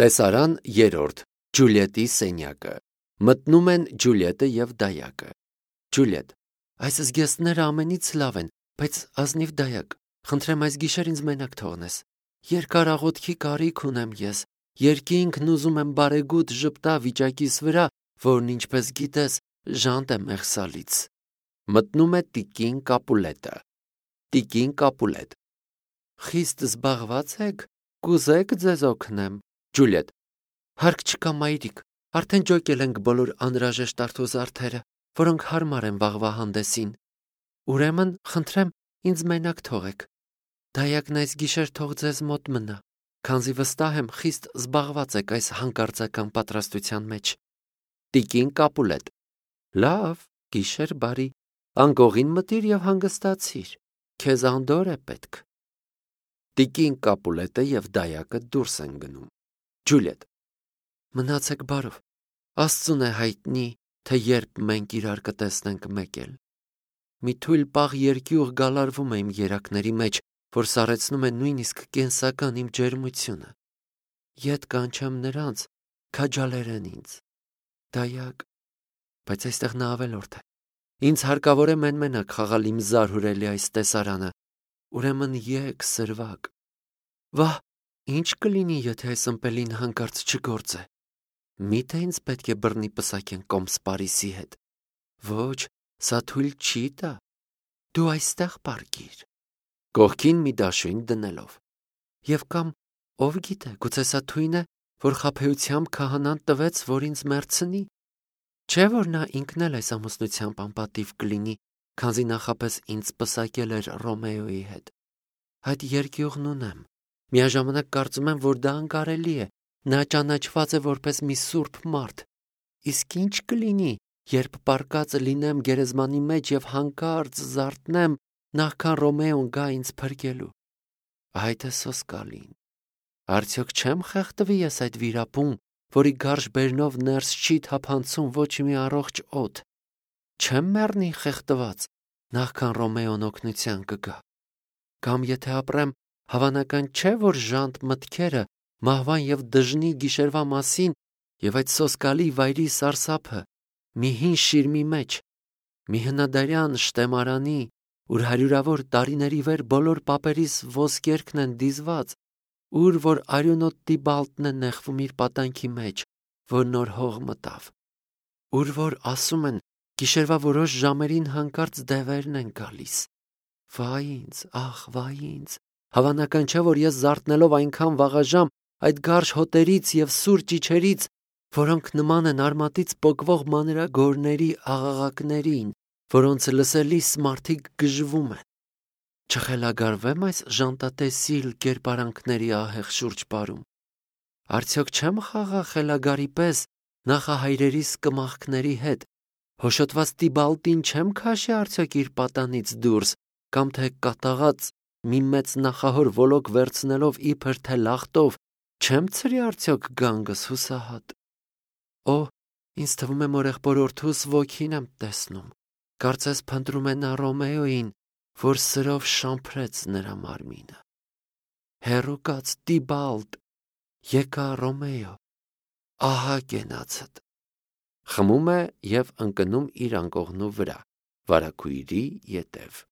Տեսարան երրորդ. Ջուլիետի սենյակը։ Մտնում են Ջուլիետը և դայակը։ Ջուլիետ. այս զգեստները ամենից լավ են, բայց ազնիվ դայակ, խնդրեմ այս գիշեր ինձ մենակ թողնես։ Երկար աղոթքի կարիք ունեմ ես, երկինքն ուզում եմ բարեգութ ժպտա վիճակիս վրա, որն ինչպես գիտես, ժանտ է մեղսալից։ Մտնում է տիկին Կապուլետը։ Տիկին Կապուլետ. խիստ զբաղված եք, կուզեք ձեզ օգնեմ։ Ջուլիետ. հարկ չկա մայրիկ, արդեն ջոկել ենք բոլոր անհրաժեշտ արթոզարդերը, որոնք հարմար են վաղվա հանդեսին։ Ուրեմն, խնդրեմ, ինձ մենակ թողեք։ Դայակն այս գիշեր թող ձեզ մոտ մնա, քանզի վստահ եմ խիստ զբաղված եք այս հանկարծական պատրաստության մեջ։ Տիկին Կապուլետ. լավ, գիշեր բարի, անկողին մտիր և հանգստացիր, քեզ անդոր է պետք։ Տիկին Կապուլետը և դայակը դուրս են գնում։ Ջուլիետ. մնացեք բարով, Աստծուն է հայտնի, թե երբ մենք իրար կտեսնենք մեկ էլ։ Մի թույլ պաղ երկյուղ գալարվում է իմ երակների մեջ, որ սառեցնում է նույնիսկ կենսական իմ ջերմությունը։ Ետ կանչեմ նրանց, քաջալերեն ինձ։ Դայակ, բայց այստեղ նա ավելորդ է։ Ինձ հարկավոր է մենմենակ խաղալ իմ զարհուրելի այս տեսարանը, ուրեմն եկ սրվակ։ Վահ, ինչ կլինի, եթե այս ըմպելին հանկարծ չգործե։ Միթե ինձ պետք է բռնի պսակեն Կոմս Պարիսի հետ։ Ոչ, սա թույլ չի տա։ Դու այստեղ պառկիր, կողքին մի դաշույն դնելով։ Եվ կամ, ով գիտե, գուցե սա թույն է, որ խաբեությամբ քահանան տվեց, որ ինձ մեռցնի։ Չէ՞ որ նա ինքն էլ այս ամուսնությամբ անպատիվ կլինի, քանզի նախապես ինձ պսակել էր Ռոմեոյի հետ։ Այդ երկյուղն ունեմ։ Միաժամանակ կարծում եմ, որ դա անկարելի է։ Նա ճանաչված է որպես մի սուրբ մարդ։ Իսկ ինչ կլինի, երբ պառկած լինեմ գերեզմանի մեջ և հանկարծ զարթնեմ, նախքան Ռոմեոն գա ինձ փրկելու։ Այդ է սոսկալին։ Արդյոք չեմ խեղդվի ես այդ վիրապում, որի գարշ բերնով ներս չի թափանցում ոչ մի առողջ օդ։ Չեմ մեռնի խեղդված, նախքան Ռոմեոն օգնության կգա։ Կամ եթե ապրեմ, հավանական չէ, որ ժանտ մտքերը մահվան և դժնի գիշերվա մասին և այդ սոսկալի վայրի սարսափը մի հին շիրմի մեջ, մի հնադարյան շտեմարանի, ուր հարյուրավոր տարիների վեր բոլոր պապերիս ոսկերքն են դիզված, ուր որ արյունոտ Տիբալտն է նեղվում իր պատանքի մեջ, որ նոր հող մտավ, ուր որ ասում են գիշերվա որոշ ժամերին հանկարծ դևերն են գալիս։ Վայ ինձ, ախ, վայ ինձ, հավանական չէ, որ ես զարթնելով այնքան վաղաժամ այդ գարշ հոտերից և սուր ճիչերից, որոնք նման են արմատից պոկվող մանրագորների աղաղակներին, որոնց լսելիս մարդիկ գժվում են, չխելագարվեմ այս ժանտատեսիլ կերպարանքների ահեղ շուրջպարում։ Արդյոք չեմ խաղա խելագարի պես նախահայրերիս կմախքների հետ, հոշոտված Տիբալտին չեմ քաշի արդյոք իր պատանից դուրս, կամ թե կատաղած մի մեծ նախահոր ոլոկ վերցնելով իբր թե լախտով, չեմ ցրի արդյոք գանգս հուսահատ։ Օ, ինձ թվում է մորեղբորորդուս ոգին եմ տեսնում, կարծես փնտրում է նա Ռոմեոյին, որ սրով շամփրեց նրա մարմինը։ Հեռու կաց Տիբալտ, եկա Ռոմեո, ահա կենացդ։ Խմում է և ընկնում իր անկողնու վրա, վարագույրի ետև։